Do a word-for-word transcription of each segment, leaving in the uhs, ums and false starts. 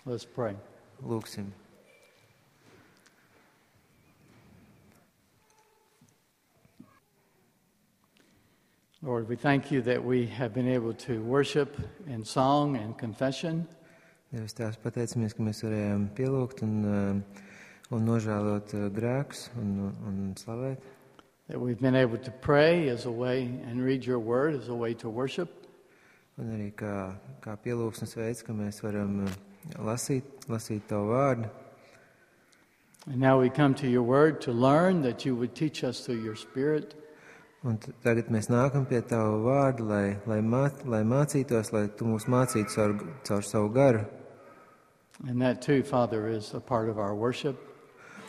Let's pray. Lūksim. Lord, we thank you that we have been able to worship in song and confession. Dievs, Tēvs, pateicamies, ka mēs varējām pielūgt un, un nožēlot grēkus un, un slavēt. That we've been able to pray as a way and read your word as a way to worship. Un arī kā, kā pielūgsmes veids, ka mēs varam lasīt, lasīt tavu vārdu. And now we come to your word to learn that you would teach us through your Spirit. Un tagad mēs nākam pie tavu vārdu, lai, lai, māc, lai mācītos, lai tu mūs mācītu caur, caur savu garu. And that too, Father, is a part of our worship.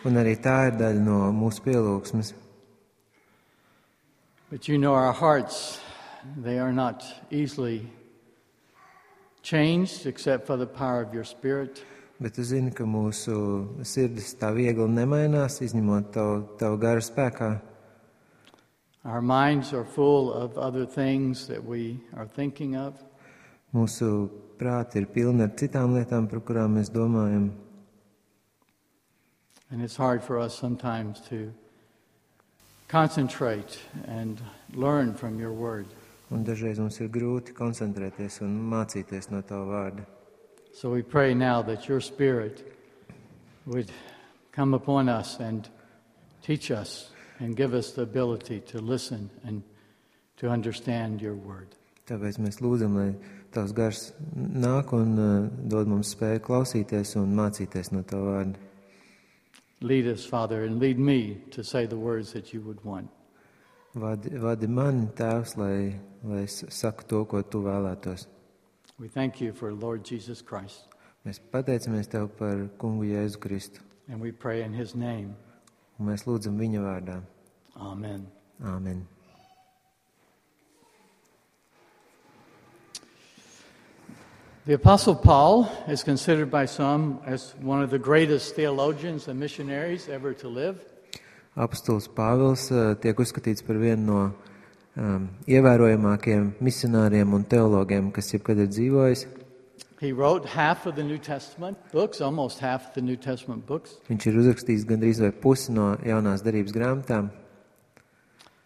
Un arī tā ir daļa no mūsu pielūgsmes. But you know our hearts, they are not easily changed except for the power of your Spirit. Bet tu zini, ka mūsu sirdis tā viegli nemainās, izņemot tavu, tavu garu spēkā. Our minds are full of other things that we are thinking of. Mūsu prāti ir pilni ar citām lietām, par kurām mēs domājam. And it's hard for us sometimes to concentrate and learn from your word. Un dažreiz mums ir grūti koncentrēties un mācīties no tava vārda. So we pray now that your Spirit would come upon us and teach us and give us the ability to listen and to understand your word. Tāpēc mēs lūdzam, lai tavs gars nāk un uh, dod mums spēju klausīties un mācīties no tava vārda. Lead us, Father, and lead me to say the words that you would want. Vadi, vadi mani, Tēvs, lai, lai es saku to, ko tu vēlētos. We thank you for Lord Jesus Christ. Mēs pateicamies Tev par kungu Jēzu Kristu. And we pray in his name. Un mēs lūdzam viņa vārdā. Amen. Āmen. The Apostle Paul is considered by some as one of the greatest theologians and missionaries ever to live. Apostols Pāvils uh, tiek uzskatīts par vienu no um, ievērojamākajiem misionāriem un teologiem, kas jebkad ir dzīvojis. He wrote half of the New Testament books, almost half of the New Testament books. Viņš ir uzrakstījis gandrīz vai pusi no jaunās darības grāmatām.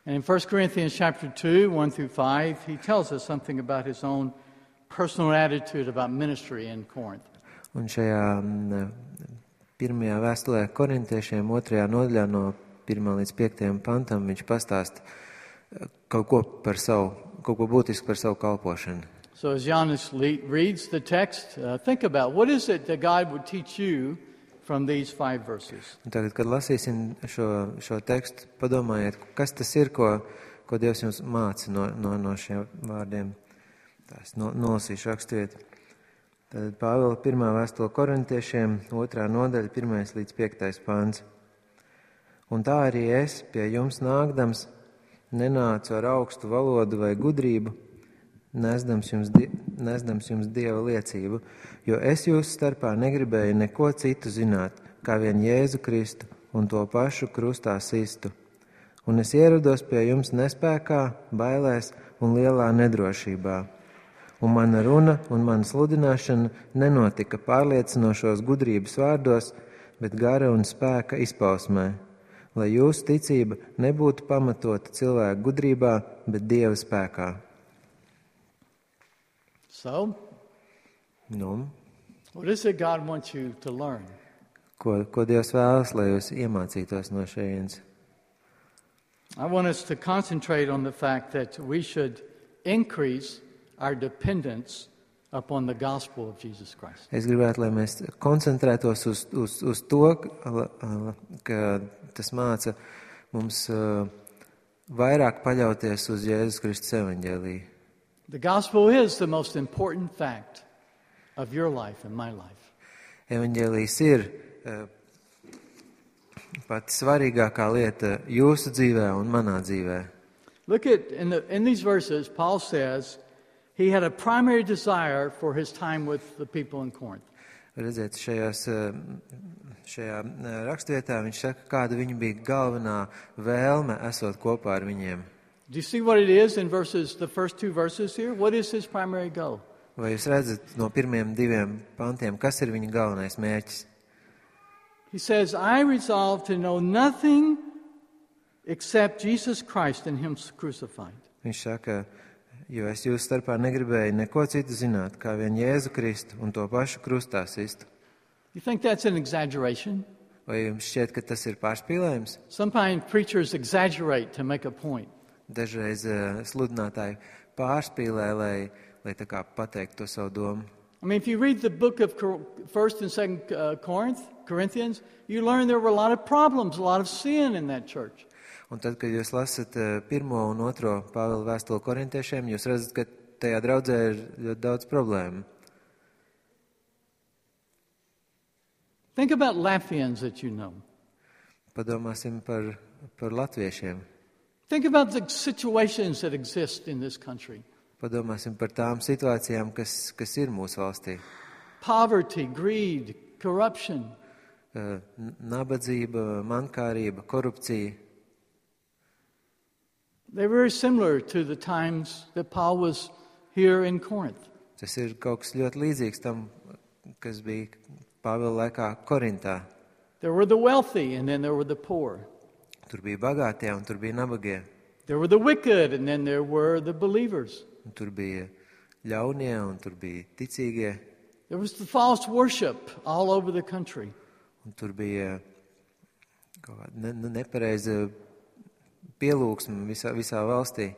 And in First Corinthians chapter two, one through five, he tells us something about his own personal attitude about ministry in Corinth. Un šajā m, pirmajā vēstulē korintiešiem, otrajā nodaļā no pirmā līdz piektajam pantam, viņš pastāsta kaut ko par savu, kaut ko būtisku par savu kalpošanu. So as Janis reads the text, uh, think about what is it that God would teach you from these five verses. Un tagad, kad lasīsim šo, šo tekstu, padomājiet, kas tas ir, ko, ko Dievs jums māca no, no, no šiem vārdiem. Tās no, nolasīšu raksturiet. Tad Pāvila pirmā vēstule korintiešiem, otrā nodaļa, pirmais līdz piektais pāns. Un tā arī es pie jums nākdams nenācu ar augstu valodu vai gudrību, nesdams jums, die, nesdams jums Dieva liecību, jo es jūsu starpā negribēju neko citu zināt, kā vien Jēzu Kristu un to pašu krustā sistu. Un es ierados pie jums nespēkā, bailēs un lielā nedrošībā. Un mana runa un mana sludināšana nenotika pārliecinošos gudrības vārdos, bet gara un spēka izpausmē, lai jūsu ticība nebūtu pamatota cilvēku gudrībā, bet Dieva spēkā. So, Nu, what is it God wants you to learn? ko, ko Dievs vēlas, lai jūs iemācītos no šejienes? I want us to concentrate on the fact that we should increase our dependence upon the gospel of Jesus Christ. Es gribētu, lai mēs koncentrētos uz, uz, uz to, ka tas māca mums uh, vairāk paļauties uz Jēzus Kristus evaņģēliju. The gospel is the most important fact of your life and my life. Evaņģēlijs ir uh, pati svarīgākā lieta jūsu dzīvē un manā dzīvē. Look at, in, the, in these verses, Paul says he had a primary desire for his time with the people in Corinth. Redziet, šajās, šajā rakstvietā viņš saka, kāda viņa bija galvenā vēlme esot kopā ar viņiem. Do you see what it is in verses, the first two verses here? What is his primary goal? Vai jūs redzat no pirmiem diviem pantiem, kas ir viņa galvenais mērķis? He says, I resolve to know nothing except Jesus Christ and Him crucified. Viņš saka, jo es jūsu starpā negribēju neko citu zināt, kā vien Jēzu Kristu un to pašu krustā sistu. You think that's an exaggeration? Vai jums šķiet, ka tas ir pārspīlējums? Sometimes preachers exaggerate to make a point. Dažreiz uh, sludinātāji pārspīlē, lai, lai tā kā pateiktu to savu domu. I mean, if you read the book of First and Second uh, Corinth, Corinthians, you learn there were a lot of problems, a lot of sin in that church. Un tad, kad jūs lasat uh, pirmo un otro Pāvila vēstuli korintiešiem, jūs redzat, ka tajā draudzē ir ļoti daudz problēmu. Think about Latvians that you know. Padomāsim par, par latviešiem. Think about the situations that exist in this country. Padomāsim par tām situācijām, kas, kas ir mūsu valstī. Poverty, greed, corruption. Uh, nabadzība, mankārība, korupcija. They're very similar to the times that Paul was here in Corinth. Tas ir kaut kas ļoti līdzīgs tam, kas bija Pāvila laikā Korintā. There were the wealthy and then there were the poor. Tur bija bagātie un tur bija nabagie. There were the wicked and then there were the believers. Un tur bija ļaunie un tur bija ticīgie. There was the false worship all over the country. Un tur bija kaut kāda ne, nepareiza pielūgsme visā, visā valstī.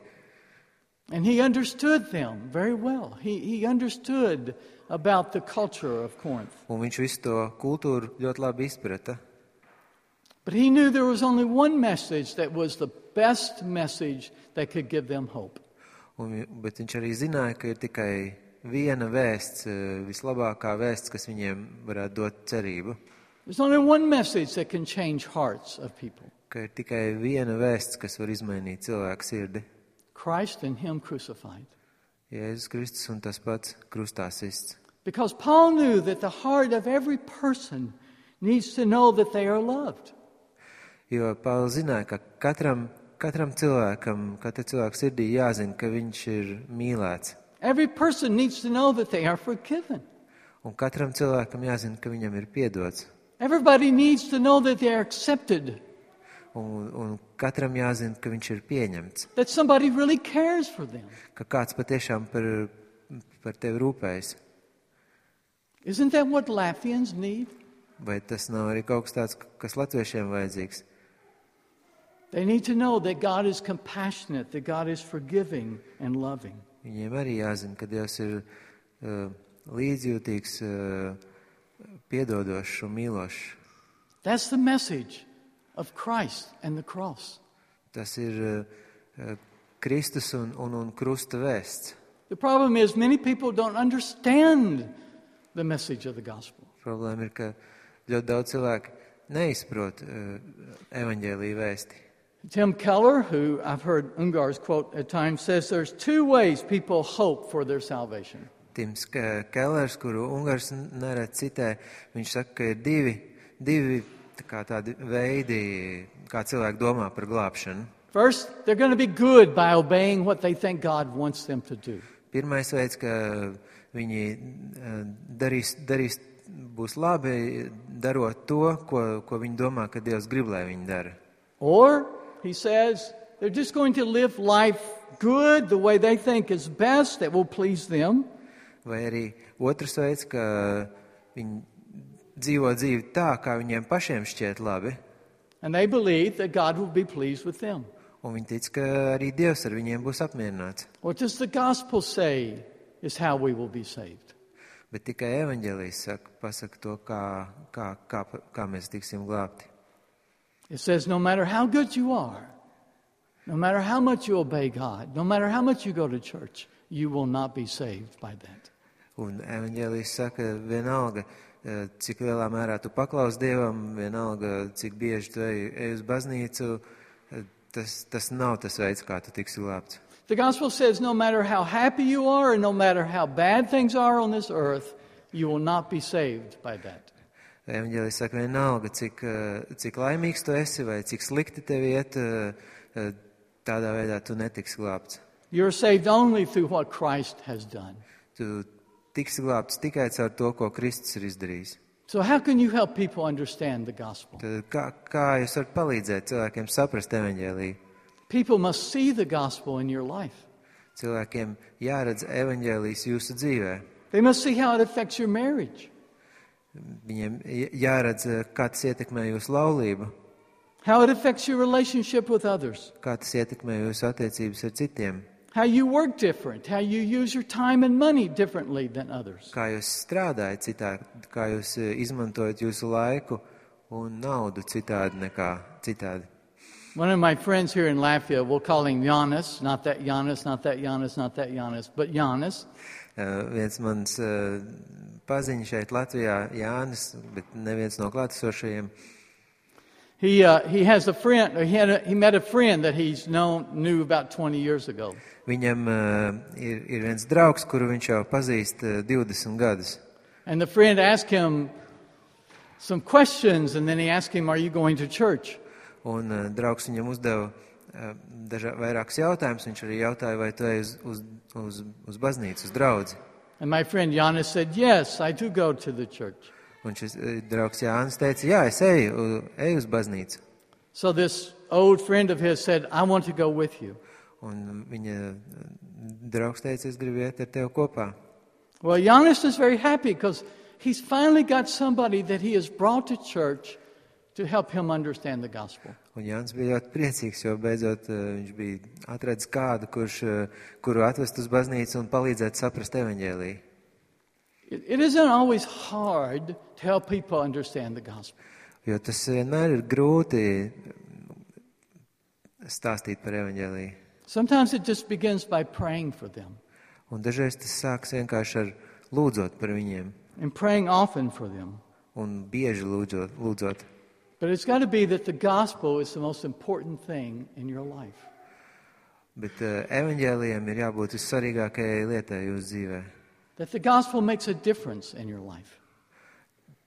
And he understood them very well. He, he understood about the culture of Corinth. Un viņš visu to kultūru ļoti labi izprata. But he knew there was only one message that was the best message that could give them hope. Un, bet viņš arī zināja, ka ir tikai viena vēsts, vislabākā vēsts, kas viņiem varētu dot cerību. There's only one message that can change hearts of people. Ka ir tikai viena vēsts, kas var izmainīt cilvēku sirdi. Christ and Him crucified. Jēzus Kristus un tas pats krustā sists. Because Paul knew that the heart of every person needs to know that they are loved. Jo Pāvils zināja, ka katram, katram cilvēkam, katra cilvēka sirdī jāzina, ka viņš ir mīlēts. Every person needs to know that they are forgiven. Un katram cilvēkam jāzina, ka viņam ir piedots. Everybody needs to know that they are accepted. Un, un katram jāzina, ka viņš ir pieņemts. That somebody really cares for them. Ka kāds patiešām par, par tevi rūpējas. Isn't that what Latvians need? Vai tas nav arī kaut kas tāds, kas latviešiem vajadzīgs? They need to know that God is compassionate, that God is forgiving and loving. Viņiem arī jāzina, ka Dievs ir uh, līdzjūtīgs, uh, piedodošs un mīlošs. That's the message of Christ and the cross. Tas ir uh, Kristus un, un, un krusta vēsts. The problem is many people don't understand the message of the gospel. Problēma ir, ka ļoti daudz cilvēku neizprot uh, evaņģēlija vēsti. Tim Keller, who I've heard Ungar's quote at times, says there's two ways people hope for their salvation. Tims Kellers, kuru Ungars nerad citē, viņš saka, ka ir divi, divi tā kā tādi veidi, kā cilvēki domā par glābšanu. First, they're going to be good by obeying what they think God wants them to do. Pirmais veids, ka viņi darīs, darīs būs labi, darot to, ko, ko viņi domā, ka Dievs grib, lai viņi dara. Or, he says, they're just going to live life good the way they think is best, that will please them. Vai arī otrs veids, ka viņi dzīvo dzīvi tā, kā viņiem pašiem šķiet labi. And they believe that God will be pleased with them. Un viņi tic, ka arī Dievs ar viņiem būs apmierināts. What does the gospel say is how we will be saved? Bet tikai evaņģēlijs saka, pasaka to, kā, kā, kā, kā mēs tiksim glābti. It says no matter how good you are, no matter how much you obey God, no matter how much you go to church, you will not be saved by that. Un evaņģēlijs saka, vienalga, cik lielā mērā tu paklaus Dievam, vienalga, cik bieži tu ej, ej uz baznīcu, tas, tas nav tas veids, kā tu tiksi glābts. The gospel says no matter how happy you are and no matter how bad things are on this earth, you will not be saved by that. Evaņģēlijs saka, vienalga, cik, cik laimīgs tu esi vai cik slikti tev iet, tādā veidā tu netiksi glābts. You're saved only through what Christ has done. Tu tiks glābts tikai caur to, ko Kristus ir izdarījis. So how can you help people understand the gospel? Tad kā, kā jūs varat palīdzēt cilvēkiem saprast evaņģēliju? People must see the gospel in your life. Cilvēkiem jāredz evaņģēlijs jūsu dzīvē. They must see how it affects your marriage, Viņiem jāredz, kā tas ietekmē jūsu laulību, how it affects your relationship with others, kā tas ietekmē jūsu attiecības ar citiem, how you work different, how you use your time and money differently than others. kā jūs strādājat citādi, kā jūs izmantojat jūsu laiku un naudu citādi nekā citādi. One of my friends here in Latvia, we'll call him Jānis, not that Jānis, not that Jānis, not that Jānis, but Jānis. Uh, viens mans uh, paziņš šeit Latvijā, Jānis, bet neviens no klātesošajiem. He uh, he has a friend. He had a, he met a friend that he's known knew about twenty years ago. Viņam uh, ir, ir viens draugs, kuru viņš jau pazīst uh, divdesmit gadus. And the friend asked him some questions, and then he asked him, "Are you going to church?" Un uh, draugs viņam uzdeva uh, dažā, vairākus jautājumus. Viņš arī jautāja, vai tu ej uz, uz, uz, uz baznīcu, uz draudzi. And my friend Jānis said, "Yes, I do go to the church." Un šis uh, draugs Jānis teica, jā, es eju, eju uz baznīcu. So this old friend of his said, "I want to go with you." Un viņa draugs teica, es gribu iet ar tevi kopā. Well, Jānis is very happy because he's finally got somebody that he has brought to church to help him understand the gospel. Un Jānis bija ļoti priecīgs, jo beidzot uh, viņš bija atradis kādu, kurš, uh, kuru atvest uz baznīcu un palīdzēt saprast evaņģēliju. It, it isn't always hard to help people understand the gospel. Jo tas vienmēr ir grūti stāstīt par evaņģēliju. Sometimes it just begins by praying for them Un dažreiz tas sāks vienkārši ar lūdzot par viņiem and praying often for them. un bieži lūdzot. lūdzot. But it's got to be that the gospel is the most important thing in your life. Bet uh, evaņģēlijam ir jābūt vissvarīgākajai lietai jūsu dzīvē. That the gospel makes a difference in your life.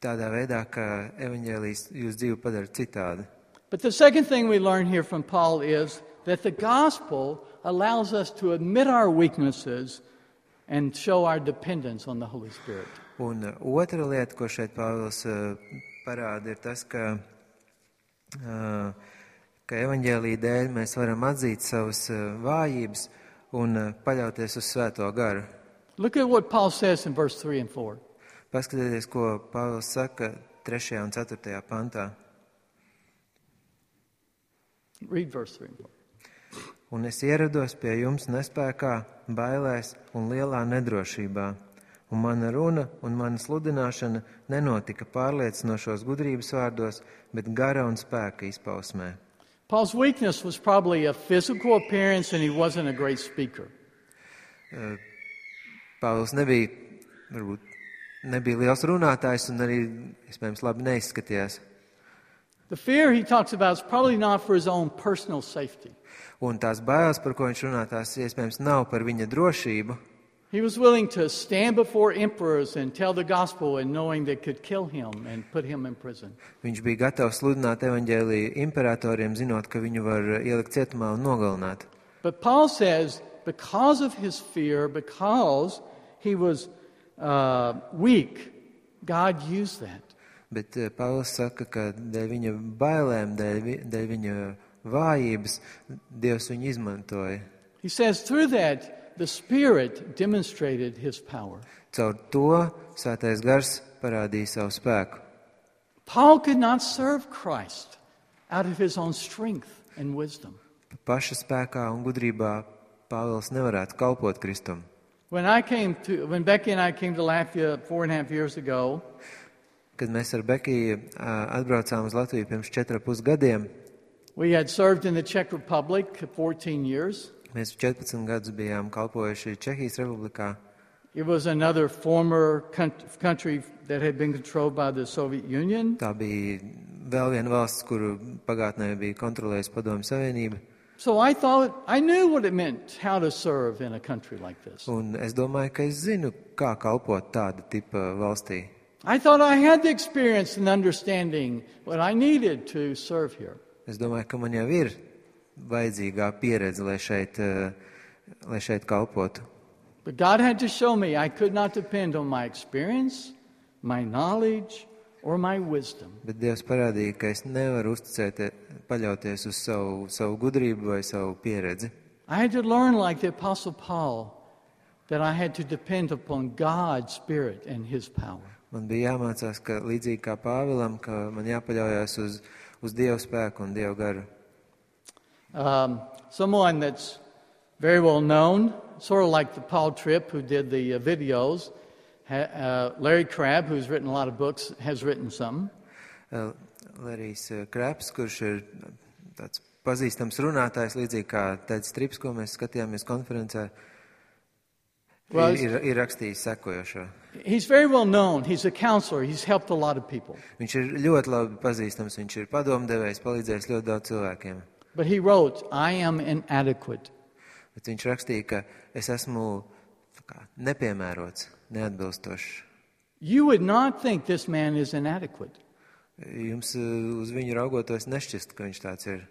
Tādā veidā, ka evaņģēlijs jūsu dzīvi padara citādi. But the second thing we learn here from Paul is that the gospel allows us to admit our weaknesses and show our dependence on the Holy Spirit. Un uh, otra lieta, ko šeit Pāvils uh, parāda, ir tas, ka, uh, ka evaņģēlija dēļ mēs varam atzīt savas uh, vājības un uh, paļauties uz Svēto garu. Look at what Paul says in verse three and four. Paskatieties, ko Pāvils saka trešajā un ceturtajā pantā. Read verse three and four. Un es ierados pie jums nespēkā, bailēs un lielā nedrošībā. Un mana runa un mana sludināšana nenotika pārliecinošos gudrības vārdos, bet gara un spēka izpausmē. Paul's weakness was probably a physical appearance, and he wasn't a great speaker. Pāvils nebija, varbūt, nebija liels runātājs un arī, iespējams, labi neizskatījās. The fear he talks about is probably not for his own personal safety. Un tās bailes, par ko viņš runā, tās iespējams nav par viņa drošību. He was willing to stand before emperors and tell the gospel and knowing they could kill him and put him in prison. Viņš bija gatavs sludināt evaņģēliju imperatoriem, zinot, ka viņu var ielikt cietumā un nogalināt. But Paul says, because of his fear, because he was uh, weak, God used that. Bet uh, Pāvils saka, ka dēļ viņa bailēm, dēļ, vi- dēļ viņa vājības, Dievs viņu izmantoja. He says through that, the Spirit demonstrated his power. Caur to Svētais Gars parādīja savu spēku. Paul could not serve Christ out of his own strength and wisdom. Paša spēkā un gudrībā Pāvils nevarētu kalpot Kristum. When I came to, when Becky and I came to Latvia four and a half years ago, Kad mēs ar Bekiju atbraucām uz Latviju pirms četriem pus gadiem, we had served in the Czech Republic fourteen years. mēs četrpadsmit gadus bijām kalpojuši Čehijas Republikā. It was another former country that had been controlled by the Soviet Union. Tā bija vēl viena valsts, kuru pagātnē bija kontrolējusi Padomju Savienība. So I thought, I knew what it meant, how to serve in a country like this. Un es domāju, ka es zinu, kā kalpot tāda tipa valstī. I thought I had the experience and understanding what I needed to serve here. Es domāju, ka man jau ir vajadzīgā pieredze, lai šeit, lai šeit kalpotu. But God had to show me I could not depend on my experience, my knowledge, or my wisdom. Bet Dievs parādīja, ka es nevaru uzticēt, paļauties uz savu, savu gudrību vai savu pieredzi. I had to learn like the Apostle Paul that I had to depend upon God's Spirit and His power. Man bija jāmācās, ka līdzīgi kā Pāvilam, ka man jāpaļaujas uz, uz Dieva spēku un Dieva garu. Um, someone that's very well known, sort of like the Paul Tripp who did the uh, videos, ha, uh, Larry Crabb, who's written a lot of books, has written some. Uh, Larijs uh, Krabs, kurš ir tāds pazīstams runātājs, līdzīgi kā Teds Strips, ko mēs skatījāmies konferencē, well, ir, ir rakstījis sekojošo. He's very well known. He's a counselor. He's helped a lot of people. Viņš ir ļoti labi pazīstams, viņš ir padomdevējs, palīdzējis ļoti daudz cilvēkiem. But he wrote, I am inadequate. Bet viņš rakstīja, ka es esmu kā, nepiemērots, neatbilstošs. You would not think this man is inadequate. Jums uz viņu raugoties nešķist, ka viņš tāds ir.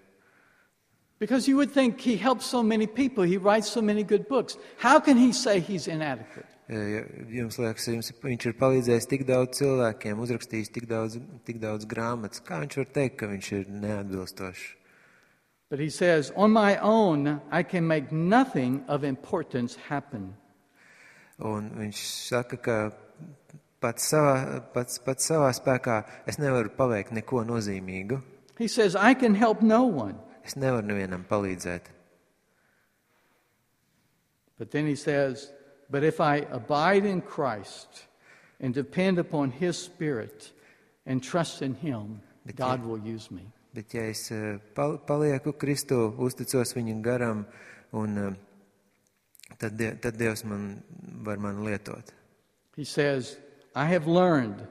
Because you would think he helps so many people, he writes so many good books. How can he say he's inadequate? Jums liekas, jums, viņš ir palīdzējis tik daudz cilvēkiem, uzrakstījis tik daudz, tik daudz grāmatas. Kā viņš var teikt, ka viņš ir neatbilstošs? But he says, on my own, I can make nothing of importance happen. Un viņš saka, ka pats savā, pats, pats savā spēkā es nevaru paveikt neko nozīmīgu. He says, I can help no one. Es nevaru nevienam palīdzēt. But then he says, but if I abide in Christ and depend upon His Spirit and trust in Him, Bet God ja, will use me. Bet ja es pal, palieku Kristu, uzticos Viņam garam, un tad, tad Dievs man var man lietot. He says, I have learned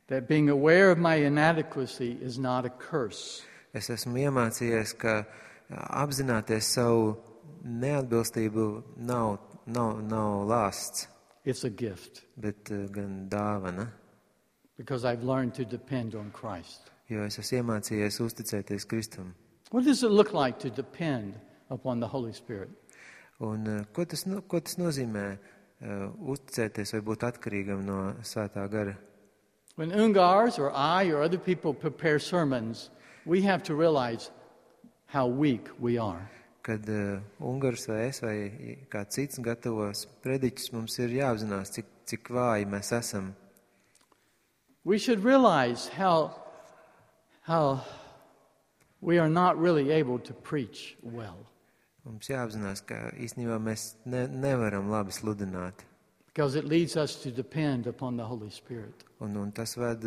that being aware of my inadequacy is not a curse. Es esmu iemācījies, ka apzināties savu neatbilstību nav, nav, nav lāsts, It's a gift bet gan dāvana, because I've learned to depend on Christ. jo es esmu iemācījies uzticēties Kristum. What does it look like to depend upon the Holy Spirit? Un ko tas, no, ko tas nozīmē uh, uzticēties vai būt atkarīgam no Svētā gara? When Ungars or I or other people prepare sermons, we have to realize how weak we are. Kad uh, Ungars vai es vai kāds cits gatavos prediķus, mums ir jāapzinās, cik, cik vāji mēs esam. We should realize how, how we are not really able to preach well. Mums jāapzinās, ka īstenībā mēs ne, nevaram labi sludināt. Because it leads us to depend upon the Holy Spirit. Un, un tas ved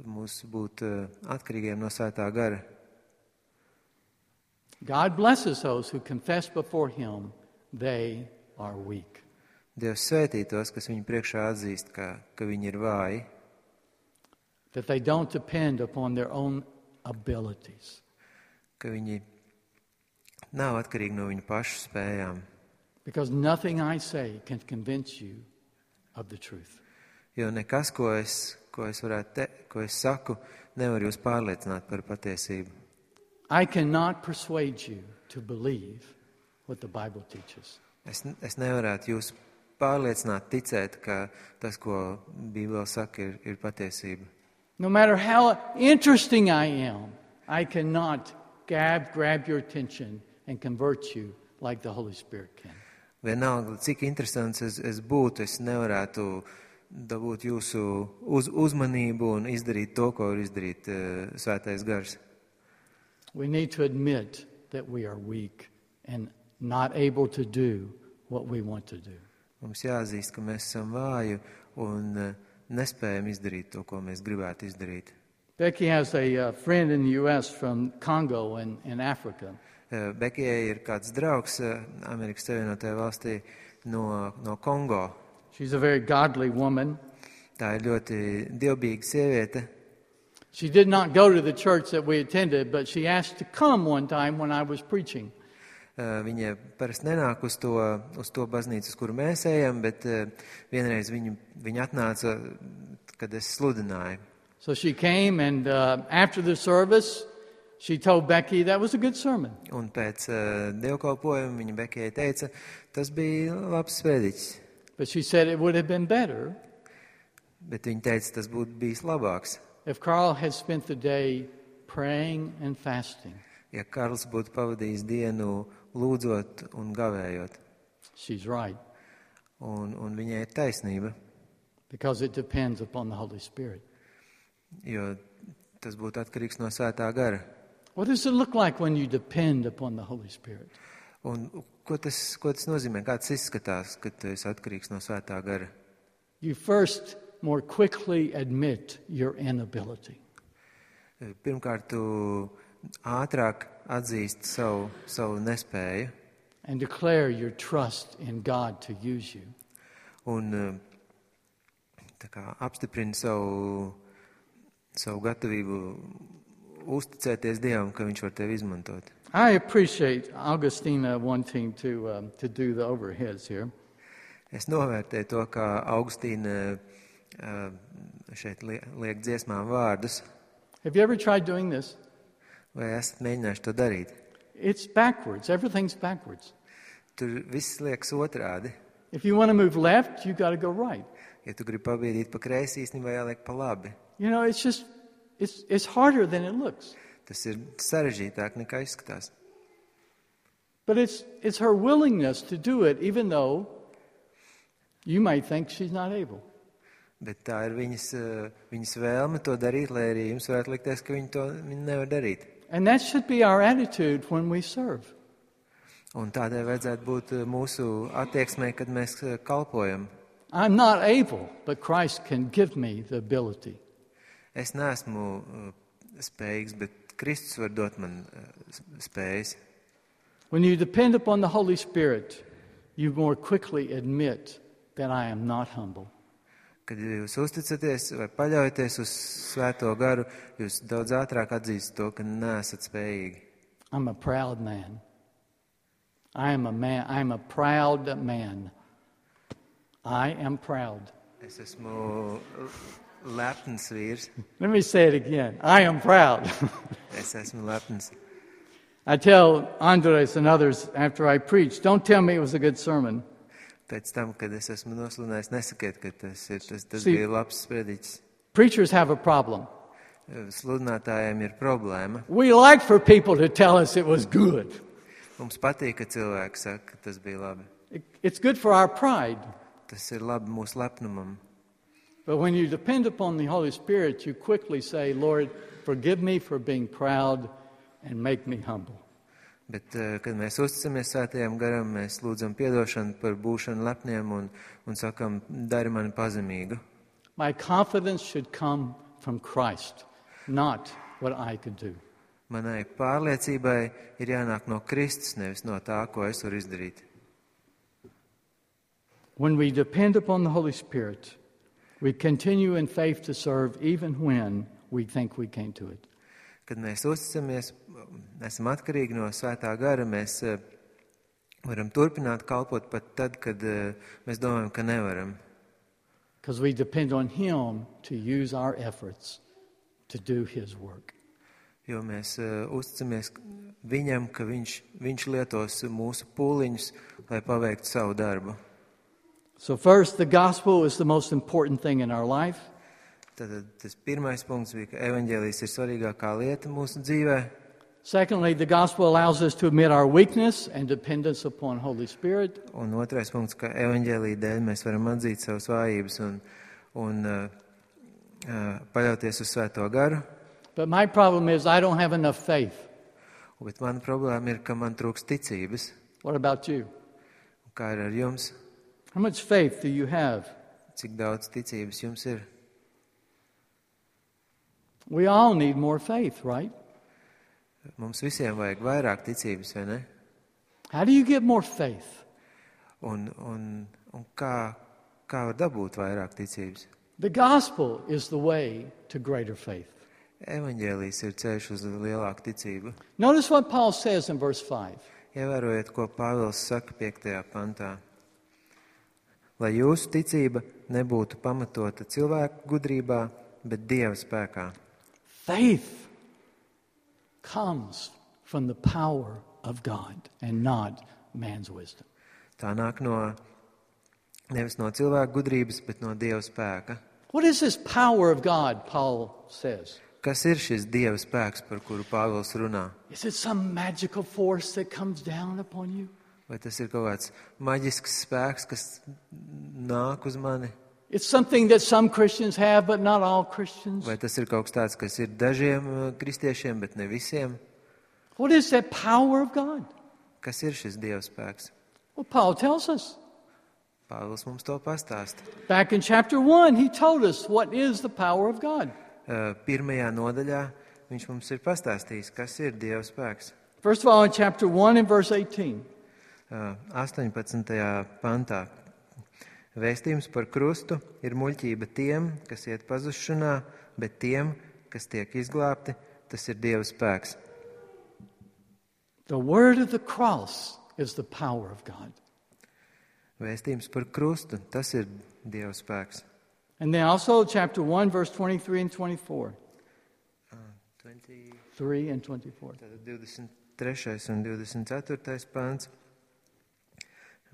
mūs būt uh, atkarīgiem no Svētā gara. God blesses those who confess before Him they are weak. Dievs svētī tos, kas viņu priekšā atzīst, ka, ka viņi ir vāji, that they don't depend upon their own abilities. ka viņi nav atkarīgi no viņu pašu spējām. Because nothing I say can convince you of the truth. Jo nekas, ko es, ko es varētu te, ko es saku, nevar jūs pārliecināt par patiesību. I cannot persuade you to believe what the Bible teaches. Es, es nevarētu jūs pārliecināt, ticēt, ka tas, ko Bībele saka, ir, ir patiesība. No matter how interesting I am, I cannot grab, grab your attention and convert you like the Holy Spirit can. Vienalga, cik interesants es, es būtu, es nevarētu dabūt jūsu uz, uzmanību un izdarīt to, ko var izdarīt uh, Svētais gars. We need to admit that we are weak and not able to do what we want to do. Mums jāzīst, ka mēs esam vāji un uh, nespējam izdarīt to, ko mēs gribētu izdarīt. Becky has a uh, friend in the U S from Congo in, in Africa. Uh, Bekijai ir kāds draugs uh, Amerikas Savienotajā valstī no, no Kongo. She's a very godly woman. Tā ir ļoti dievbijīga sieviete. She did not go to the church that we attended, but she asked to come one time when I was preaching. Uh, viņa parasti nenāk uz to, uz to baznīcu, uz kuru mēs ejam, bet uh, vienreiz viņa, viņa atnāca, kad es sludināju. So she came, and uh, after the service, She told Becky that was a good sermon. Un pēc uh, dievkalpojuma viņa Bekijai teica, tas bija labs sprediķis. But she said it would have been better Bet viņa teica, tas būtu bijis labāks, if Carl had spent the day praying and fasting. ja Karls būtu pavadījis dienu lūdzot un gavējot. She's right, Un, un viņai ir taisnība, because it depends upon the Holy Spirit. jo tas būtu atkarīgs no Svētā gara. What does it look like when you depend upon the Holy Spirit? Un ko tas, ko tas nozīmē? Kā tas izskatās, kad tu esi atkarīgs no Svētā gara? You first more quickly admit your inability. Pirmkārt, tu ātrāk atzīsti savu, savu nespēju And declare your trust in God to use you. un tā kā apstiprini savu, savu gatavību uzticēties Dievam, ka Viņš var tevi izmantot. I appreciate Augustina wanting to um, to do the overheads here. Es novērtēju to, kā Augustīna šeit liek dziesmām vārdus. Have you ever tried doing this? Vai esat mēģinājuši to darīt? It's backwards. Everything's backwards. Tur viss liekas otrādi. If you want to move left, you got to go right. Ja tu gribi pabiedīt pa kreisi, īstenībā jāliek pa labi. You know, it's just it's it's harder than it looks. Tas ir sarežģītāk nekā izskatās. But it's it's her willingness to do it, even though you might think she's not able. Bet tā ir viņas, viņas vēlme to darīt, lai arī jums varētu likties, ka viņi to viņi nevar darīt. And that should be our attitude when we serve. Un tādai vajadzētu būt mūsu attieksmei, kad mēs kalpojam. I'm not able, but Christ can give me the ability. Es neesmu spējīgs, bet Kristus var dot man spējas. When you depend upon the Holy Spirit, you more quickly admit that I am not humble. Kad jūs uzticaties vai paļaujaties uz Svēto garu, jūs daudz ātrāk atzīstat to, ka neesat spējīgi. I'm a proud man. I am a man. I'm a proud man. I am proud. Es esmu lepns vīrs. Let me say it again. I am proud. Es esmu lepns. I tell Andres and others after I preach, don't tell me it was a good sermon. Pēc tam, kad es esmu nosludinājis, nesakiet, ka tas, ir, tas, tas See, bija labs sprediķis. Preachers have a problem. Sludinātājiem ir problēma. We like for people to tell us it was good. Mums patīk, ka cilvēki saka, ka tas bija labi. It, it's good for our pride. Tas ir labi mūsu lepnumam. But when you depend upon the Holy Spirit, you quickly say, Lord, forgive me for being proud and make me humble. Bet, kad mēs uzticamies Svētajam garam, mēs lūdzam piedošanu par būšanu lepniem un, un sakam, dari mani pazemīgu. My confidence should come from Christ, not what I could do. Manai pārliecībai ir jānāk no Kristus, nevis no tā, ko es varu izdarīt. When we depend upon the Holy Spirit, we continue in faith to serve even when we think we can't do it. Kad mēs uzticamies, esam atkarīgi no Svētā gara, mēs varam turpināt kalpot pat tad, kad mēs domājam, ka nevaram. Because we depend on Him to use our efforts to do His work. Jo mēs uzticamies Viņam, ka viņš, viņš lietos mūsu pūliņus, lai paveiktu savu darbu. So first, the gospel is the most important thing in our life. Tad tas pirmais punkts bija, ka evaņģēlijs ir svarīgākā lieta mūsu dzīvē. Secondly, the gospel allows us to admit our weakness and dependence upon Holy Spirit. Un otrais punkts, ka evaņģēlija dēļ mēs varam atzīt savas vājības un, un uh, uh, paļauties uz Svēto garu. But my problem is I don't have enough faith. Bet mana problēma ir, ka man trūks ticības. What about you? Kā ir ar jums? How much faith do you have? Cik daudz ticības jums ir? We all need more faith, right? Mums visiem vajag vairāk ticības, vai ne? How do you get more faith? Un, un, un kā, kā var dabūt vairāk ticības? The gospel is the way to greater faith. Evaņģēlijs ir ceļš uz lielāku ticību. Notice what Paul says in verse five. Ievērojiet, ko Pāvils saka piektajā pantā. Lai jūsu ticība nebūtu pamatota cilvēku gudrībā, bet Dieva spēkā. Faith comes from the power of God and not man's wisdom. Tā nāk no, nevis no cilvēka gudrības, bet no Dieva spēka. What is this power of God, Paul says? Kas ir šis Dieva spēks, par kuru Pāvils runā? Is it some magical force that comes down upon you? Vai tas ir kaut kāds maģisks spēks, kas nāk uz mani? It's something that some Christians have, but not all Christians. Vai tas ir kaut kas tāds, kas ir dažiem uh, kristiešiem, bet ne visiem? What is that power of God? Kas ir šis Dieva spēks? Well, Paul tells us. Pāvils mums to pastāsta. Back in chapter one, he told us what is the power of God. Uh, pirmajā nodaļā viņš mums ir pastāstījis, kas ir Dieva spēks. First of all, in chapter one and verse eighteen. Uh, astoņpadsmitajā pantā. Vēstījums par krustu ir muļķība tiem, kas iet pazušanā, bet tiem, kas tiek izglābti, tas ir Dieva spēks. The word of the cross is the power of God. Vēstījums par krustu, tas ir Dieva spēks. And then also chapter one, verse twenty-three and twenty-four. Uh, twenty... three and twenty-four. Tātad divdesmit trešais un divdesmit ceturtais pants.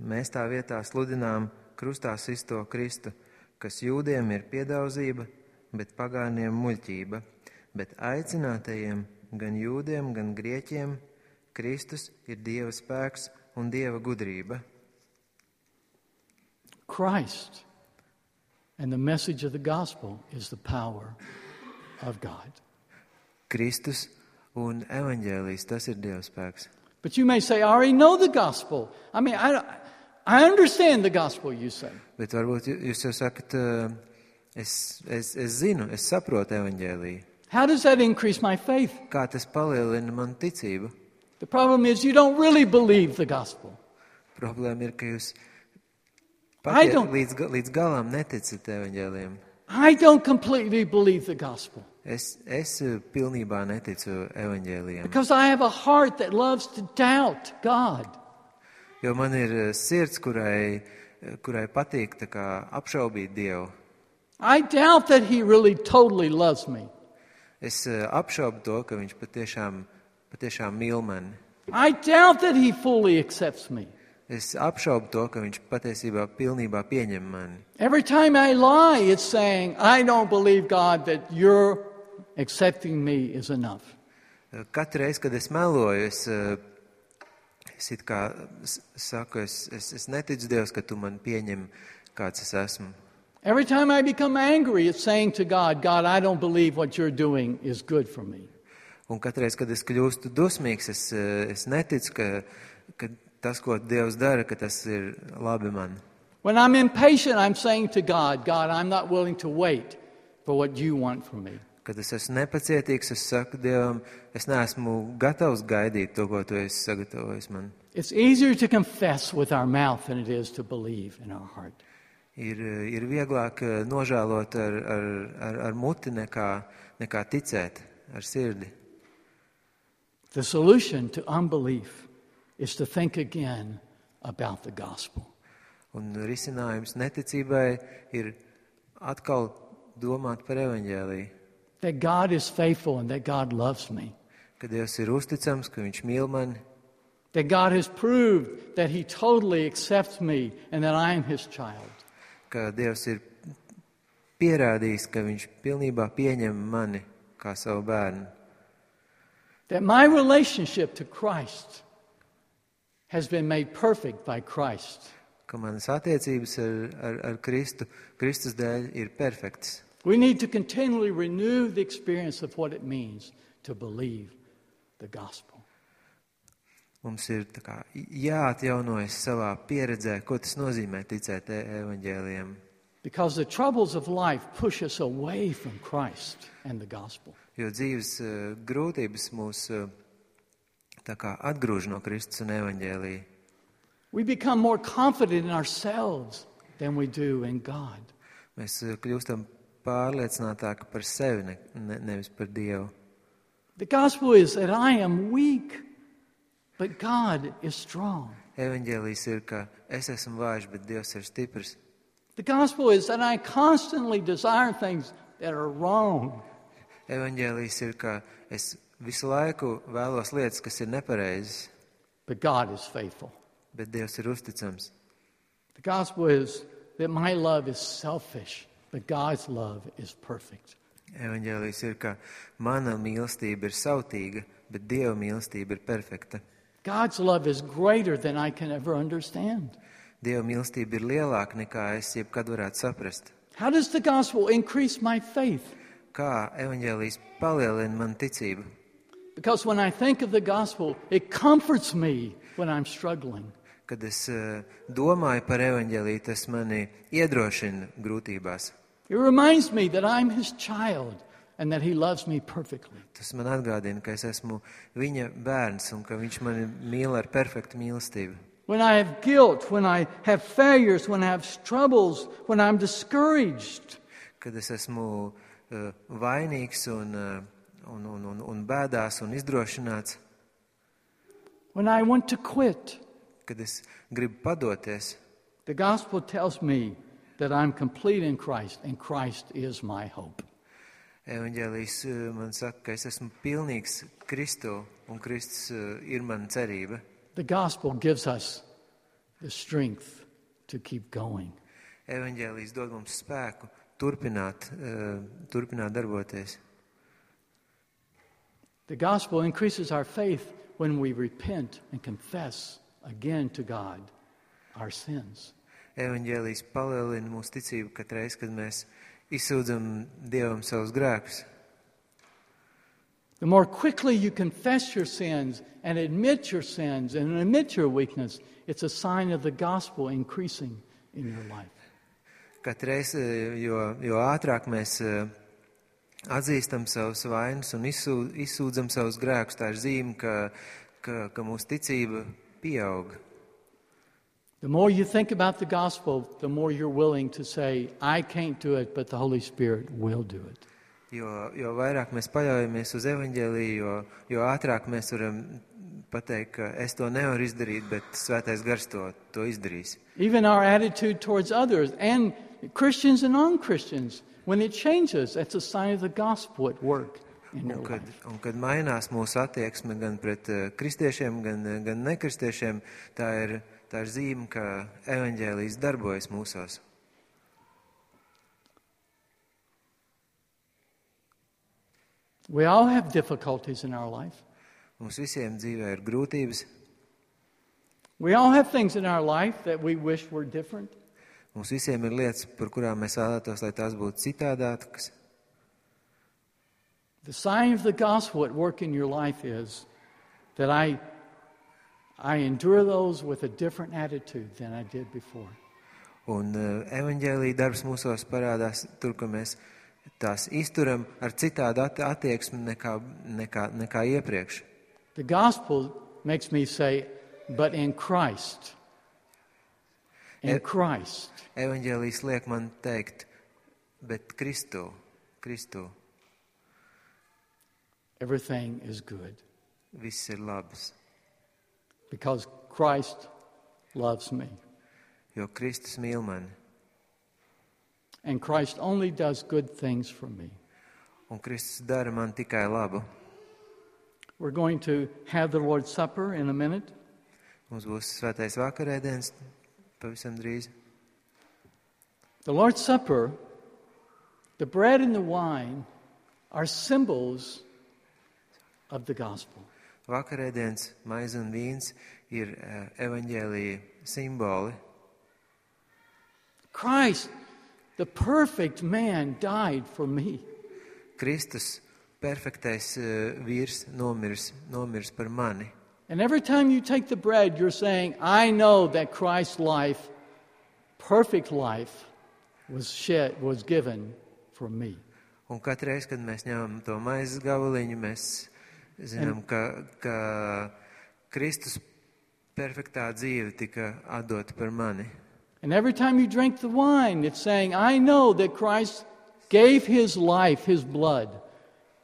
Mēs tā vietā sludinām krustā sisto Kristu, kas jūdiem ir piedauzība, bet pagāniem muļķība, bet aicinātajiem, gan jūdiem, gan grieķiem, Kristus ir Dieva spēks un Dieva gudrība. Christ and the message of the gospel is the power of God. Kristus un evaņģēlijs, tas ir Dieva spēks. But you may say, I already know the gospel. I mean, I, I understand the gospel, you say. Bet varbūt jūs jau sakat, es, es, es zinu, es saprotu evaņģēliju. How does that increase my faith? Kā tas palielina manu ticību? The problem is you don't really believe the gospel. Problēma ir, ka jūs I patiet, don't- līdz, ga- līdz galām neticat evaņģēlijam. I don't completely believe the gospel Es, es eh, pilnībā neticu evaņģēlijam, because I have a heart that loves to doubt God. jo man ir eh, sirds, kurai, eh, kurai patīk tā kā apšaubīt Dievu. I doubt that he really totally loves me. Es eh, apšaubu to, ka viņš patiešām, patiešām mīl mani. I doubt that he fully accepts me. Es apšaubu to, ka viņš patiesībā pilnībā pieņem mani. Every time I lie, it's saying, I don't believe, God, that you're accepting me is enough. Eh, Katru reizi, kad es meloju, es, eh, es it kā s- saku, es, es, es neticu Dievs, ka tu man pieņem, kāds es esmu. Every time I become angry, it's saying to God, God, I don't believe what you're doing is good for me. Un katreiz, kad es kļūstu dusmīgs, es, eh, es neticu, ka, ka tas, ko Dievs dara, ka tas ir labi man. When I'm impatient, I'm saying to God, God, I'm not willing to wait for what you want from me. Kad es esmu nepacietīgs, es saku Dievam, es neesmu gatavs gaidīt to, ko tu esi sagatavojis man. It's easier to confess with our mouth than it is to believe in our heart. Ir, eh, ir vieglāk eh, nožēlot ar, ar, ar, ar muti nekā, nekā ticēt ar sirdi. The solution to unbelief is to think again about the gospel. Un risinājums neticībai ir atkal domāt par evaņģēliju, That God is faithful and that God loves me. ka Dievs ir uzticams, ka viņš mīl mani, That God has proved that he totally accepts me and that I am his child. ka Dievs ir pierādījis, ka viņš pilnībā pieņem mani kā savu bērnu. That my relationship to Christ has been made perfect by Christ. Ka manas attiecības ar, ar, ar Kristu, Kristus dēļ ir perfektas. We need to continually renew the experience of what it means to believe the gospel. Mums ir tā kā jāatjaunojas savā pieredzē, ko tas nozīmē ticēt e- evaņģēlijam. Because the troubles of life push us away from Christ and the gospel. Jo dzīves eh, grūtības mūs eh, tā kā atgrūž no Kristus un evaņģēlija. We become more confident in ourselves than we do in God. Mēs eh, kļūstam pārliecinātāki par sevi, ne, ne, nevis par Dievu. The gospel is that I am weak, but God is strong. Evaņģēlijs ir, ka es esmu vājš, bet Dievs ir stiprs. The gospel is that I constantly desire things that are wrong. Evaņģēlijs ir, ka es visu laiku vēlos lietas, kas ir nepareizas, but God is faithful. bet Dievs ir uzticams. The gospel is that my love is selfish, but God's love is perfect. Evaņģēlijs ir, ka mana mīlestība ir sautīga, bet Dieva mīlestība ir perfekta. God's love is greater than I can ever understand. Dieva mīlestība ir lielāka nekā es jebkad varētu saprast. How does the gospel increase my faith? Kā evaņģēlijs palielina man ticību? Because when I think of the gospel, it comforts me when I'm struggling. Kad es uh, domāju par evaņģēliju, tas mani iedrošina grūtībās. It reminds me that I'm his child and that he loves me perfectly. Tas man atgādina, ka es esmu viņa bērns un ka viņš mani mīl ar perfektu mīlestību. When I have guilt, when I have failures, when I have troubles, when I'm discouraged, Kad es esmu uh, vainīgs un, uh, un, un, un, un bēdās un izdrošināts, when I want to quit, kad es gribu padoties, the gospel tells me that I'm complete in Christ and Christ is my hope. evaņģēlijs uh, man saka, ka es esmu pilnīgs Kristu un Kristus uh, ir mana cerība. The gospel gives us the strength to keep going. Evaņģēlijs dod mums spēku turpināt, uh, turpināt darboties. The gospel increases our faith when we repent and confess again to God our sins. Evaņģēlijs palielina mūsu ticību katreiz, kad mēs izsūdzam Dievam savus grēkus. The more quickly you confess your sins and admit your sins and admit your weakness, it's a sign of the gospel increasing in your life. Katreiz, jo, jo ātrāk mēs uh, atzīstam savus vainas un izsū, izsūdzam savus grēkus, tā ir zīme, ka, ka, ka mūsu ticība pieaug. The more you think about the gospel, the more you're willing to say, I can't do it, but the Holy Spirit will do it. Jo, jo vairāk mēs paļaujamies uz evaņģēliju, jo, jo ātrāk mēs varam pateikt, ka es to nevaru izdarīt, bet Svētais Gars to, to izdarīs. Even our attitude towards others and Christians and non-Christians, when it changes, that's a sign of the gospel at work in your Un kad, life. un kad mainās mūsu attieksme gan pret uh, kristiešiem, gan, uh, gan nekristiešiem, tā ir, tā ir zīme, ka evaņģēlijs darbojas mūsos. We all have difficulties in our life. Mums visiem dzīvē ir grūtības, We all have things in our life that we wish were different. mums visiem ir lietas, par kurām mēs vēlētos, lai tās būtu citādākas. The sign of the gospel at work in your life is that I, I endure those with a different attitude than I did before. Un uh, evaņģēlija darbs mūsos parādās tur, ka mēs tās izturam ar citādu at- attieksmi nekā, nekā, nekā iepriekš. The gospel makes me say, but in Christ, in E- Christ, Evaņģēlijs liek man teikt, bet Kristu, Kristu, everything is good viss ir labs, because Christ loves me. jo Kristus mīl mani. And Christ only does good things for me. Un Kristus dara man tikai labu. We're going to have the Lord's Supper in a minute. Mums būs svētais vakarēdiens pavisam drīz. The Lord's Supper, the bread and the wine, are symbols of the gospel. Vakarēdiens, maize un vīns ir uh, evaņģēlija simboli. Christ, the perfect man, died for me. Kristus, perfektais uh, vīrs, nomirs, nomirs par mani. And every time you take the bread, you're saying, I know that Christ's life, perfect life, was shed, was given for me. Un katru reizi, kad mēs ņemam to maizes gabaliņu, mēs zinām, ka, ka Kristus perfektā dzīve tika atdota par mani. And every time you drink the wine, it's saying, I know that Christ gave his life, his blood,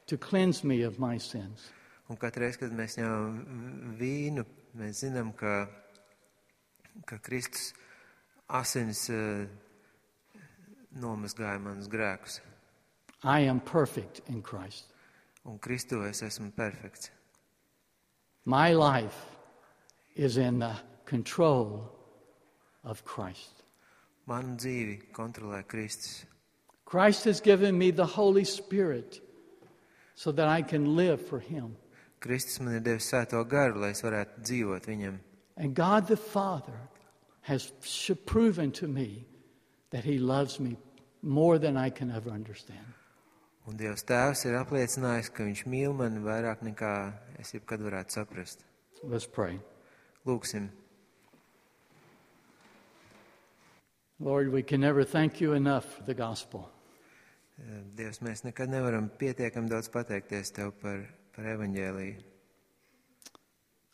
to cleanse me of my sins. Un katru reizi, kad mēs ņemam vīnu, mēs zinām, ka, ka Kristus asins uh, nomazgāja manus grēkus. I am perfect in Christ. Un Kristū es esmu perfekts. My life is in the control of Christ. Manu dzīvi kontrolē Kristus. Christ has given me the Holy Spirit so that I can live for Him. Kristus man ir devis Svēto garu, lai es varētu dzīvot viņam. And God the Father has proven to me that He loves me more than I can ever understand. Un Dievs Tēvs ir apliecinājis, ka Viņš mīl mani vairāk nekā es jebkad varētu saprast. Let's pray. Lūksim. Lord, we can never thank You enough for the gospel. Dievs, mēs nekad nevaram pietiekami daudz pateikties Tev par, par evaņģēliju.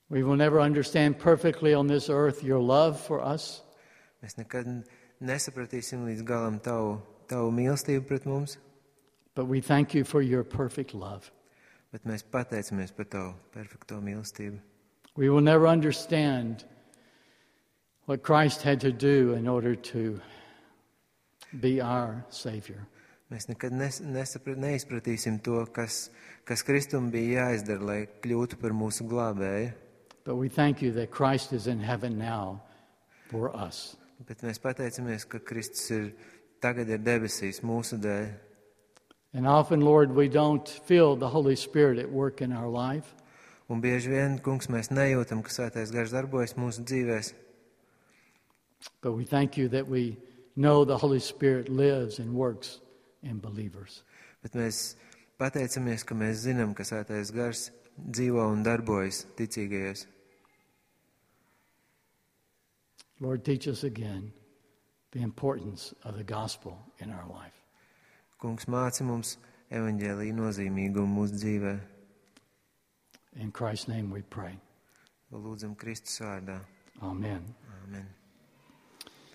We will never understand perfectly on this earth Your love for us. Mēs nekad nesapratīsim līdz galam Tavu, tavu mīlestību pret mums, But we thank You for Your perfect love. bet mēs pateicamies par Tavu perfekto mīlestību. We will never understand what Christ had to do in order to be our Savior. Mēs nekad nes, nesaprat, neizpratīsim to, kas, kas Kristum bija jāizdara, lai kļūtu par mūsu glābēju. But we thank You that Christ is in heaven now for us. Bet mēs pateicamies, ka Kristus ir tagad ir debesīs mūsu dēļ. And often, Lord, we don't feel the Holy Spirit at work in our life. Un bieži vien, kungs, mēs nejūtam, ka Svētais Gars darbojas mūsu dzīvēs. But we thank You that we know the Holy Spirit lives and works in believers. Bet mēs pateicamies, ka mēs zinām, ka Svētais Gars dzīvo un darbojas ticīgajos. Lord, teach us again the importance of the gospel in our life. Kungs, māci mums evaņģēlija nozīmīgumu mūsu dzīvē. In Christ's name we pray. Lūdzam Kristus vārdā. Amen. Amen.